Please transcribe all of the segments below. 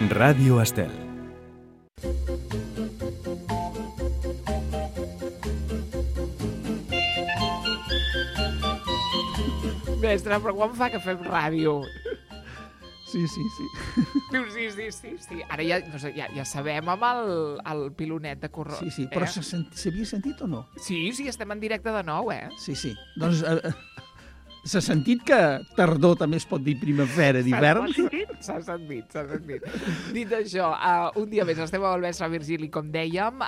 Ràdio Estel. Mestre, però quan fa que fem ràdio? Sí. Diu, sí. Ara ja, no sé, ja sabem amb el pilonet de corró. Sí, però s'havia sentit o no? Sí, estem en directe de nou, Sí. Doncs s'ha sentit que tardor també es pot dir primavera d'hivern? S'ha sentit. Dit això, un dia més estem amb el mestre Virgili, com dèiem.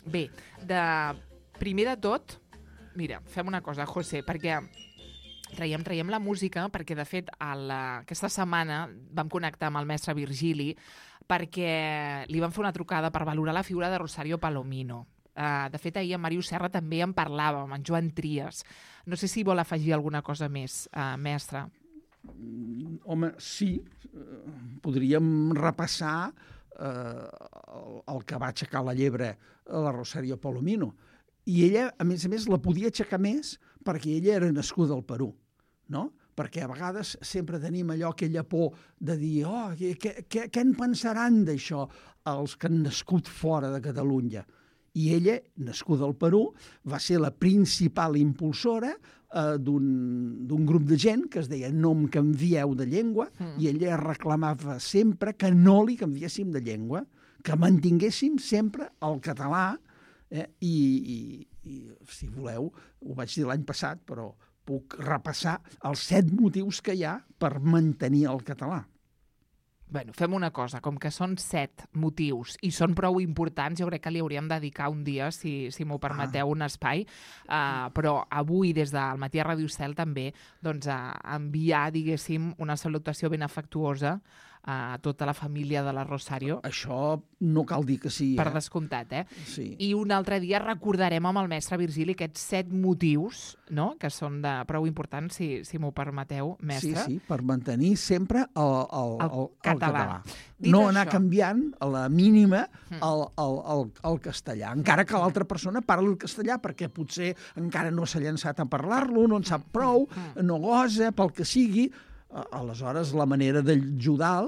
Bé, primer de tot, mira, fem una cosa, José, perquè traiem la música, perquè, de fet, aquesta setmana vam connectar amb el mestre Virgili perquè li vam fer una trucada per valorar la figura de Rosario Palomino. De fet, ahir en Màrius Serra també en parlàvem, en Joan Trias. No sé si vol afegir alguna cosa més, mestre. Home, sí. Podríem repassar el que va aixecar la llebre a la Rosario Palomino. I ella, a més, la podia aixecar més perquè ella era nascuda al Perú, no? Perquè a vegades sempre tenim aquella por de dir què en pensaran d'això els que han nascut fora de Catalunya? I ella, nascuda al Perú, va ser la principal impulsora d'un grup de gent que es deia No em canvieu de llengua, i ella reclamava sempre que no li canviéssim de llengua, que mantinguéssim sempre el català. I si voleu, ho vaig dir l'any passat, però puc repassar els 7 motius que hi ha per mantenir el català. Bueno, fem una cosa, com que són 7 motius i són prou importants, jo crec que li hauríem de dedicar un dia, si m'ho permeteu, un espai, però avui des del Matí a Ràdio Estel també enviar, diguéssim, una salutació ben afectuosa a tota la família de la Rosario. Això no cal dir que sí. Per descomptat, Sí. I un altre dia recordarem amb el mestre Virgili aquests 7 motius, no?, que són prou importants, si m'ho permeteu, mestre. Sí, per mantenir sempre el català. No anar canviant a la mínima el castellà, encara que l'altra persona parli el castellà, perquè potser encara no s'ha llançat a parlar-lo, no en sap prou, no gosa, pel que sigui. Aleshores, la manera d'ajudar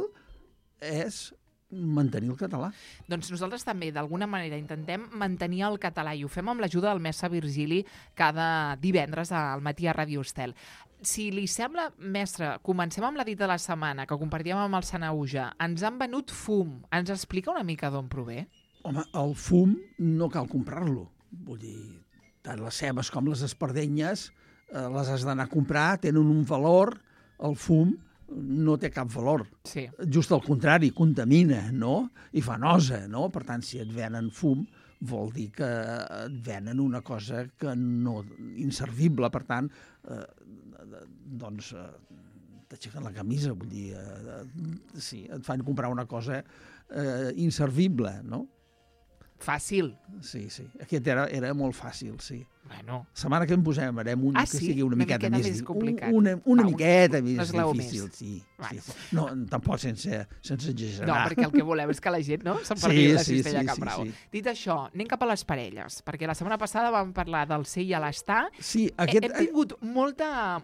és mantenir el català. Doncs nosaltres també, d'alguna manera, intentem mantenir el català i ho fem amb l'ajuda del mestre Virgili cada divendres al Matí a Ràdio Estel. Si li sembla, mestre, comencem amb la dita de la setmana, que compartíem amb el Sanauja. Ens han venut fum. Ens explica una mica d'on prové? Home, el fum no cal comprar-lo. Vull dir, tant les cebes com les espardenyes les has d'anar a comprar, tenen un valor. El fum no té cap valor. Sí. Just al contrari, contamina, no? I fa nosa, no? Per tant, si et venen fum, vol dir que et venen una cosa que no inservible. Per tant, t'aixequen la camisa, vull dir, sí, et fan comprar una cosa inservible, no? Fàcil. Sí. Aquest era molt fàcil, sí. Bueno. La setmana que en posem farem un que sigui una miqueta més complicat. Una miqueta més difícil, sí. No, tampoc sense exagerar. No, perquè el que volem és que la gent s'emparti la cistella Can Bravo. Dit això, anem cap a les parelles, perquè la setmana passada vam parlar del ser i l'estar. Sí, hem tingut molta...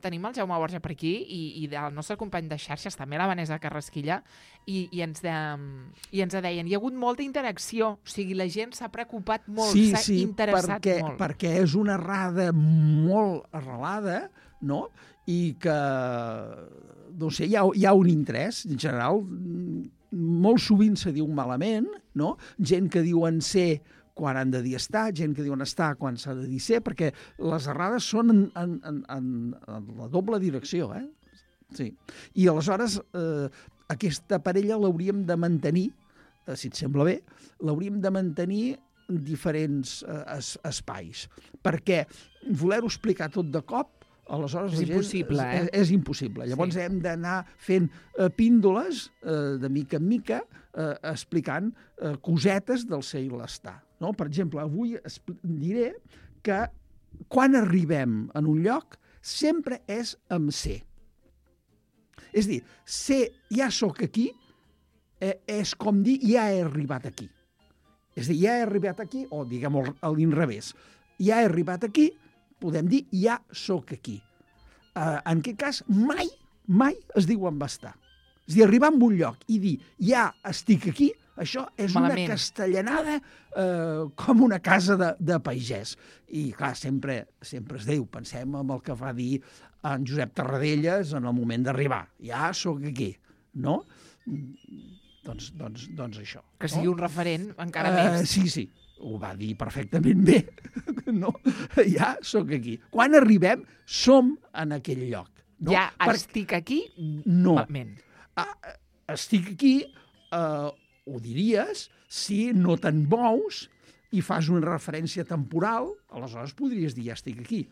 Tenim el Jaume Borja per aquí i del nostre company de xarxes, també la Vanessa Carrasquilla, i ens deien, hi ha hagut molta interacció, o sigui, la gent s'ha preocupat molt, s'ha interessat molt. Perquè és una errada molt arrelada, no? I que, no sé, hi ha un interès, en general, molt sovint se diu malament, no? Gent que diuen ser quan han de dir estar, gent que diuen estar quan s'ha de dir ser, perquè les errades són en la doble direcció, Sí. I aleshores, aquesta parella l'hauríem de mantenir, si et sembla bé, l'hauríem de mantenir en diferents espais, perquè voler-ho explicar tot de cop, aleshores és impossible, és impossible. Llavors hem d'anar fent píndoles de mica en mica, explicant cosetes del ser i l'estar. No? Per exemple, avui diré que quan arribem en un lloc sempre és amb ser. És a dir, ser ja sóc aquí és com dir ja he arribat aquí. És a dir, ja he arribat aquí, o diguem-ho a l'inrevés, ja he arribat aquí, podem dir ja sóc aquí. En aquest cas, mai es diu en va estar. És a dir, arribar a un lloc i dir, ja estic aquí, això és Malament. una castellanada com una casa de pagès. I, clar, sempre es diu, pensem en el que va dir en Josep Tarradellas en el moment d'arribar. Ja sóc aquí, no? Doncs això. Que sigui un referent encara més. Sí, ho va dir perfectament bé. No? Ja sóc aquí. Quan arribem, som en aquell lloc. No? Ja estic aquí? No. Malament. Estic aquí, ho diries, si no te'n mous i fas una referència temporal, aleshores podries dir, ja estic aquí.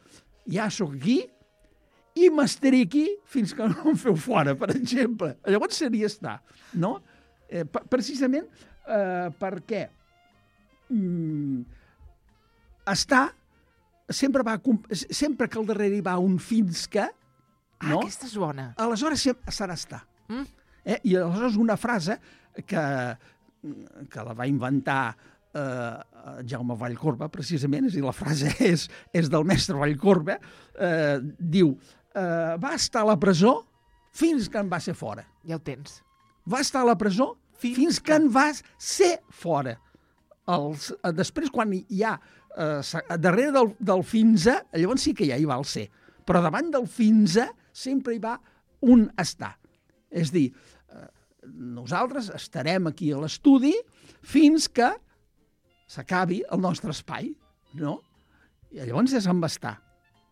Ja sóc aquí i m'estaré aquí fins que no em feu fora, per exemple. Llavors seria estar, no? Precisament perquè estar sempre que al darrere hi va un fins que, no? Aquesta és bona. Aleshores serà estar. I aleshores una frase que la va inventar Jaume Vallcorba, precisament, és a dir, la frase és del mestre Vallcorba, diu, va estar a la presó fins que en va ser fora. Ja ho tens. Va estar a la presó fins que en va ser fora. Després, quan hi ha darrere del fins a, llavors sí que ja hi va el ser. Però davant del fins a sempre hi va un estar. És dir, nosaltres estarem aquí a l'estudi fins que s'acabi el nostre espai, no? I llavors és amb estar.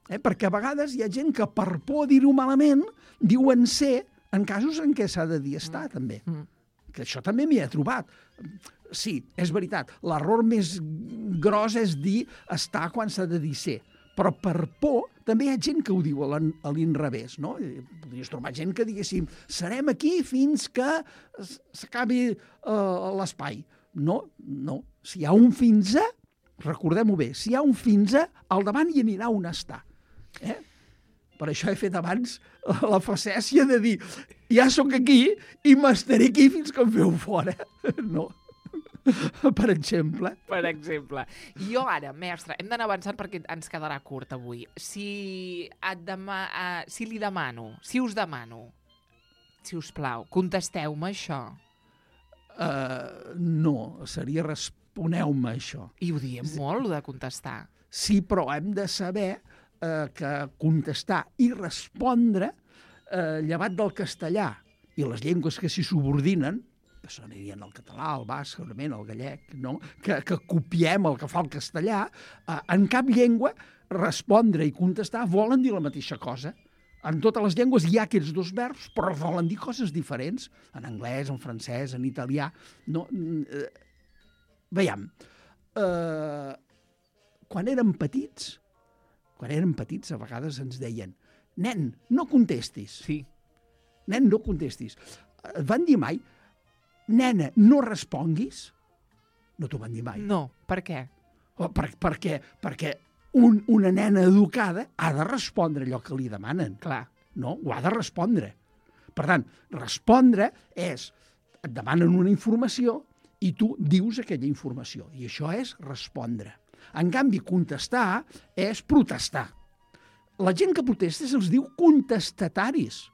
Perquè a vegades hi ha gent que per por dir-ho malament diuen ser en casos en què s'ha de dir estar, també. Que això també m'hi he trobat. Sí, és veritat, l'error més gros és dir estar quan s'ha de dir ser. Però per por també hi ha gent que ho diu a l'inrevés, no? Podries trobar gent que diguéssim serem aquí fins que s'acabi l'espai. No. Si hi ha un fins a, recordem-ho bé, si hi ha un fins a, al davant hi anirà un estar. Per això he fet abans la facècia de dir ja sóc aquí i m'estaré aquí fins que em feu fora. No. Per exemple. Per exemple. Jo ara, mestre, hem d'anar avançant perquè ens quedarà curt avui. Si li demano, si us demano, si us plau, contesteu-me això. No, seria responeu-me això. I ho diem molt, de contestar. Sí, però hem de saber que contestar i respondre, llevat del castellà i les llengües que s'hi subordinen, que s'anirien al català, al basc, segurament, al gallec, no? que copiem el que fa el castellà, en cap llengua respondre i contestar volen dir la mateixa cosa. En totes les llengües hi ha aquests dos verbs, però volen dir coses diferents. En anglès, en francès, en italià. No, veiem. Quan érem petits, a vegades ens deien nen, no contestis. Sí. Nen, no contestis. Et van dir mai nena, no responguis? No t'ho van dir mai. No, per què? Perquè una nena educada ha de respondre allò que li demanen. Clar. No? Ho ha de respondre. Per tant, respondre és, et demanen una informació i tu dius aquella informació. I això és respondre. En canvi, contestar és protestar. La gent que protesta se'ls diu contestataris.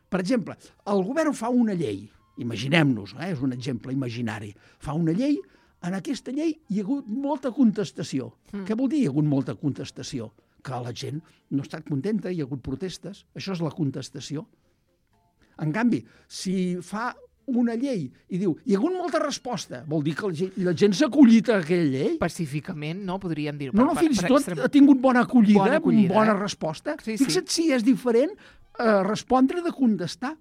Per exemple, el govern fa una llei, imaginem-nos, és un exemple imaginari, fa una llei, en aquesta llei hi ha hagut molta contestació. Què vol dir hi ha hagut molta contestació? Que la gent no ha estat contenta, hi ha hagut protestes, això és la contestació. En canvi, si fa una llei i diu hi ha hagut molta resposta, vol dir que la gent s'ha acollit a aquella llei? Pacíficament, no? Podríem dir. No, fins i tot ha tingut bona acollida, bona resposta. Sí. Fixa't si és diferent respondre de contestar.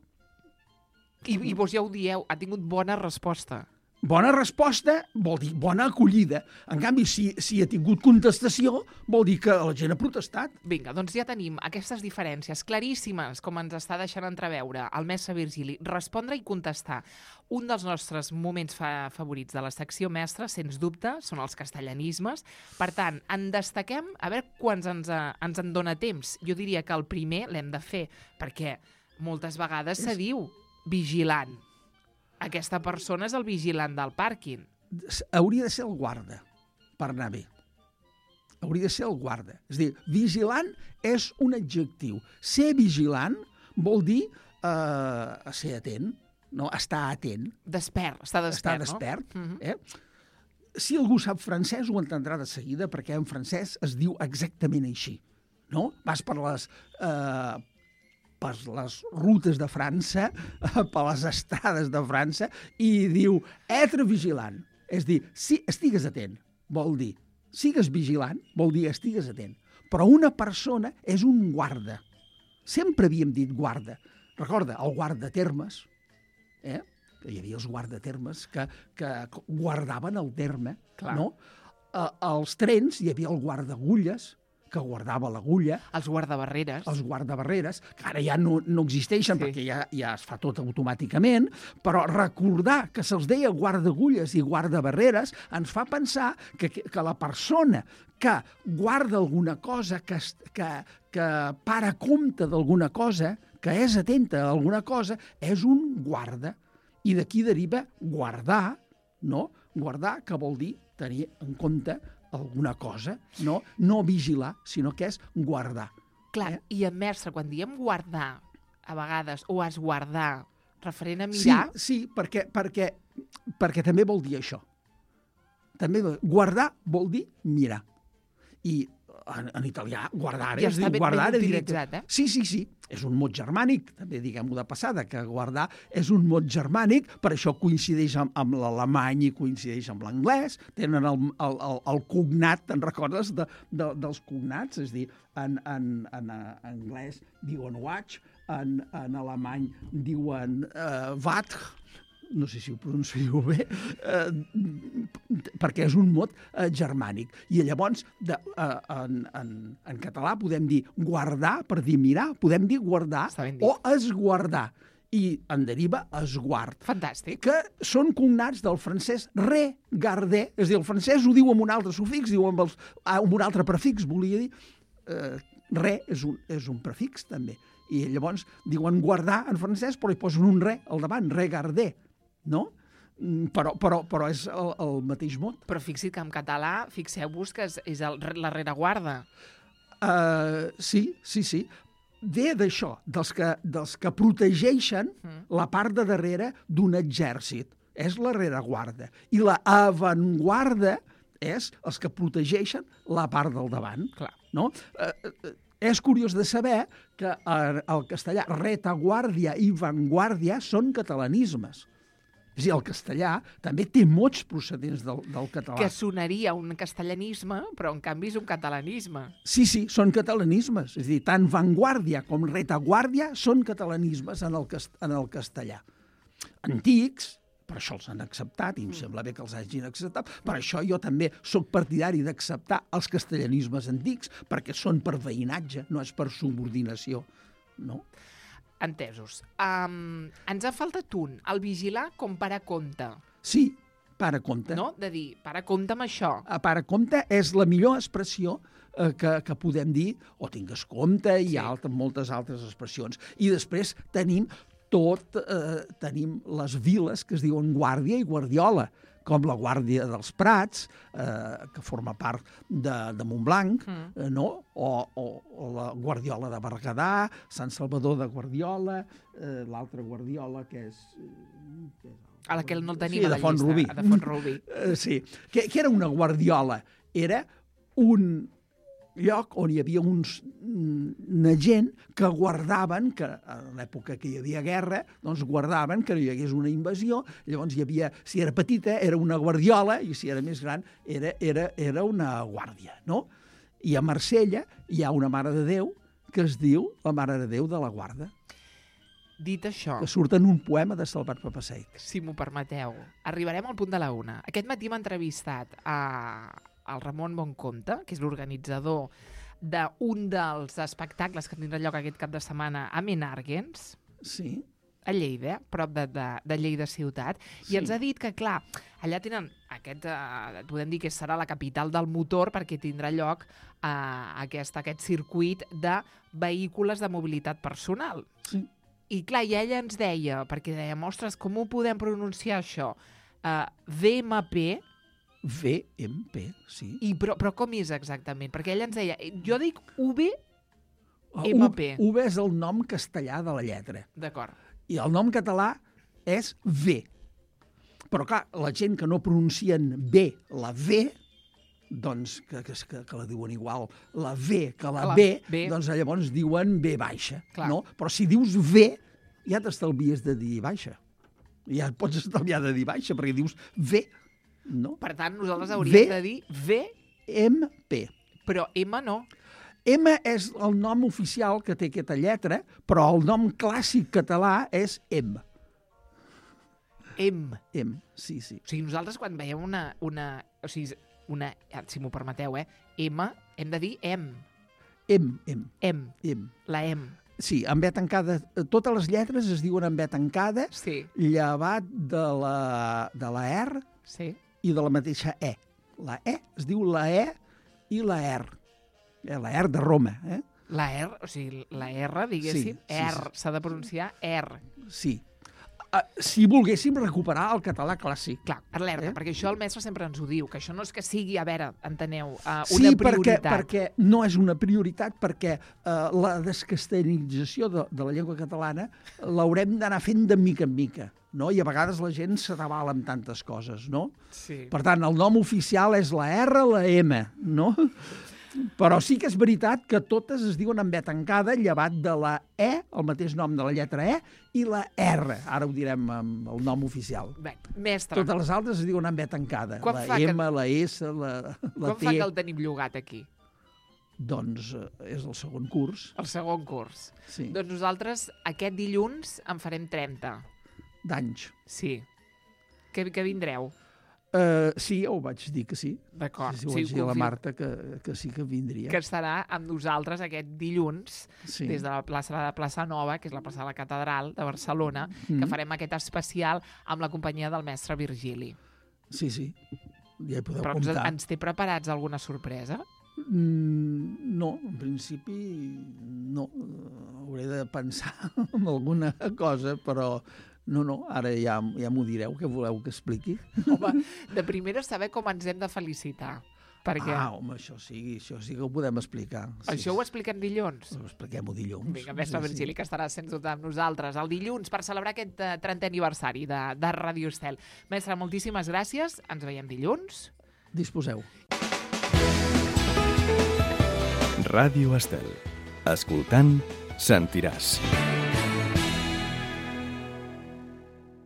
I vos ja ho dieu, ha tingut bona resposta. Bona resposta vol dir bona acollida. En canvi, si ha tingut contestació, vol dir que la gent ha protestat. Vinga, doncs ja tenim aquestes diferències claríssimes, com ens està deixant entreveure el mestre Virgili. Respondre i contestar. Un dels nostres moments favorits de la secció mestra, sens dubte, són els castellanismes. Per tant, en destaquem, a veure quants ens en dona temps. Jo diria que el primer l'hem de fer, perquè moltes vegades se diu vigilant. Aquesta persona és el vigilant del pàrquing. Hauria de ser el guarda, per anar bé. Hauria de ser el guarda. És a dir, vigilant és un adjectiu. Ser vigilant vol dir a ser atent, no? Estar atent. Despert, està despert, despert, no? Si algú sap francès ho entendrà de seguida, perquè en francès es diu exactament així, no? Vas per les rutes de França, per les estrades de França, i diu être vigilant. És dir, si estigues atent, vol dir, sigues vigilant, vol dir estigues atent. Però una persona és un guarda. Sempre havíem dit guarda. Recorda, el guardatermes, hi havia els guardatermes que guardaven el terme, no? Als trens hi havia el guardagulles, que guardava l'agulla. Els guardabarreres. Els guardabarreres, que ara ja no existeixen perquè ja es fa tot automàticament, però recordar que se'ls deia guardagulles i guardabarreres ens fa pensar que la persona que guarda alguna cosa, que para compte d'alguna cosa, que és atenta a alguna cosa, és un guarda. I d'aquí deriva guardar, no? Guardar, que vol dir tenir en compte alguna cosa, no vigilar, sinó que és guardar. Clar, i en Mersa, quan diem guardar, a vegades, o esguardar, referent a mirar... Sí, perquè també vol dir això. També guardar vol dir mirar. I en italià, guardare, ja es diu ben guardare utilitzat, Sí. És un mot germànic, també diguem-ho de passada, que guardar és un mot germànic, per això coincideix amb l'alemany i coincideix amb l'anglès, tenen el cognat, te'n recordes dels cognats? És a dir, en anglès diuen watch, en alemany diuen wat, no sé si ho pronuncio bé, perquè és un mot germànic. I llavors, en català podem dir guardar per dir mirar, podem dir guardar o esguardar. I en deriva esguard. Fantàstic. Que són cognats del francès regarder, és a dir, el francès ho diu amb un altre sufix, diu amb un altre prefix, volia dir. És un prefix, també. I llavors diuen guardar en francès, però hi posen un re al davant, regarder. No? Però és el mateix mot. Però fixa't que en català, fixeu-vos que és la rereguarda. Sí. Ve d'això, dels que protegeixen la part de darrere d'un exèrcit. És la rereguarda. I la avantguarda és els que protegeixen la part del davant. Clar. No? És curiós de saber que el castellà retaguardia i vanguardia són catalanismes. És a dir, el castellà també té mots procedents del català. Que sonaria un castellanisme, però en canvi és un catalanisme. Sí, són catalanismes. És a dir, tant vanguardia com retaguardia són catalanismes en el castellà. Antics, per això els han acceptat, i em sembla bé que els hagin acceptat, per això jo també sóc partidari d'acceptar els castellanismes antics, perquè són per veïnatge, no és per subordinació, no? Entesos. Ens ha faltat un, el vigilar com para compte. Sí, para compte. No? De dir, para compte amb això. Para compte és la millor expressió que podem dir, o tingues compte, i hi ha moltes altres expressions. I després tenim les viles que es diuen Guàrdia i Guardiola, com la Guàrdia dels Prats, que forma part de Montblanc, no? O la Guardiola de Berguedà, Sant Salvador de Guardiola, l'altra Guardiola, que és... A la que no el tenim a la llista. Font-rubí. De Font-rubí. Sí. Què era una guardiola? Era un lloc on hi havia una gent que guardaven, que a l'època que hi havia guerra, doncs guardaven que no hi hagués una invasió. Llavors hi havia, si era petita, era una guardiola, i si era més gran, era una guàrdia, no? I a Marsella hi ha una Mare de Déu que es diu la Mare de Déu de la Guarda. Dit això... Que surt en un poema de Salvat Papasseit. Si m'ho permeteu, arribarem al punt de la una. Aquest matí m'ha entrevistat el Ramon Boncompte, que és l'organitzador d'un dels espectacles que tindrà lloc aquest cap de setmana a Menàrguens, sí, a Lleida, prop de Lleida ciutat, i ens ha dit que, clar, allà tenen podem dir que serà la capital del motor, perquè tindrà lloc aquest circuit de vehicles de mobilitat personal. Sí. I clar, i ella ens deia, perquè dèiem, ostres, com ho podem pronunciar això? VMP, VMP, sí. però com és exactament? Perquè ella ens deia, jo dic UV... MP. V és el nom castellà de la lletra. D'acord. I el nom català és V. Però, clar, la gent que no pronuncien bé la V, doncs, que la diuen igual, la V que la B, doncs llavors diuen V baixa. No? Però si dius V, ja t'estalvies de dir baixa. Ja et pots estalviar de dir baixa, perquè dius V, no? Per tant, nosaltres hauríem de dir V... MP. Però M no. M és el nom oficial que té aquesta lletra, però el nom clàssic català és M. M. M, sí, sí. O sigui, nosaltres quan veiem una si m'ho permeteu, M, hem de dir M. M. La M. Sí, amb B tancada. Totes les lletres es diuen amb B tancada, llevat de la R i de la mateixa E. La E es diu la E i la R. La R de Roma. La R, o sigui, la R, diguéssim, R, s'ha de pronunciar R. Sí. Si volguéssim recuperar el català clàssic. Clar, alerta, perquè això el mestre sempre ens ho diu, que això no és que sigui, a veure, enteneu, una prioritat. Sí, perquè no és una prioritat, perquè la descastellanització de la llengua catalana l'haurem d'anar fent de mica en mica, no? I a vegades la gent s'atabala amb tantes coses, no? Sí. Per tant, el nom oficial és la R, la M, no? Però sí que és veritat que totes es diuen amb B tancada, llevat de la E, el mateix nom de la lletra E, i la R. Ara ho direm amb el nom oficial. Bé, mestre. Totes les altres es diuen amb B tancada. La M, la S, la T... Quan fa que el tenim llogat aquí? Doncs és el segon curs. El segon curs. Sí. Doncs nosaltres aquest dilluns en farem 30. D'anys. Sí. Que vindreu? Sí, ho vaig dir que sí. D'acord. Sí, ho vaig dir a la Marta que sí que vindria. Que estarà amb nosaltres aquest dilluns, des de la plaça Nova, que és la plaça de la Catedral de Barcelona, que farem aquest especial amb la companyia del mestre Virgili. Sí, sí. Ja hi podeu comptar. Però ens té preparats alguna sorpresa? No, en principi no. Hauré de pensar en alguna cosa, però... No, ara ja m'ho direu, què voleu que expliqui? Home, de primera saber com ens hem de felicitar. Perquè... home, això sí que ho podem explicar. Això ho expliquem dilluns? Ho expliquem-ho dilluns. Vinga, mestre Virgili, que estarà sens dubte amb nosaltres el dilluns per celebrar aquest 30è aniversari de Ràdio Estel. Mestre, moltíssimes gràcies. Ens veiem dilluns. Disposeu. Ràdio Estel. Escoltant, sentiràs.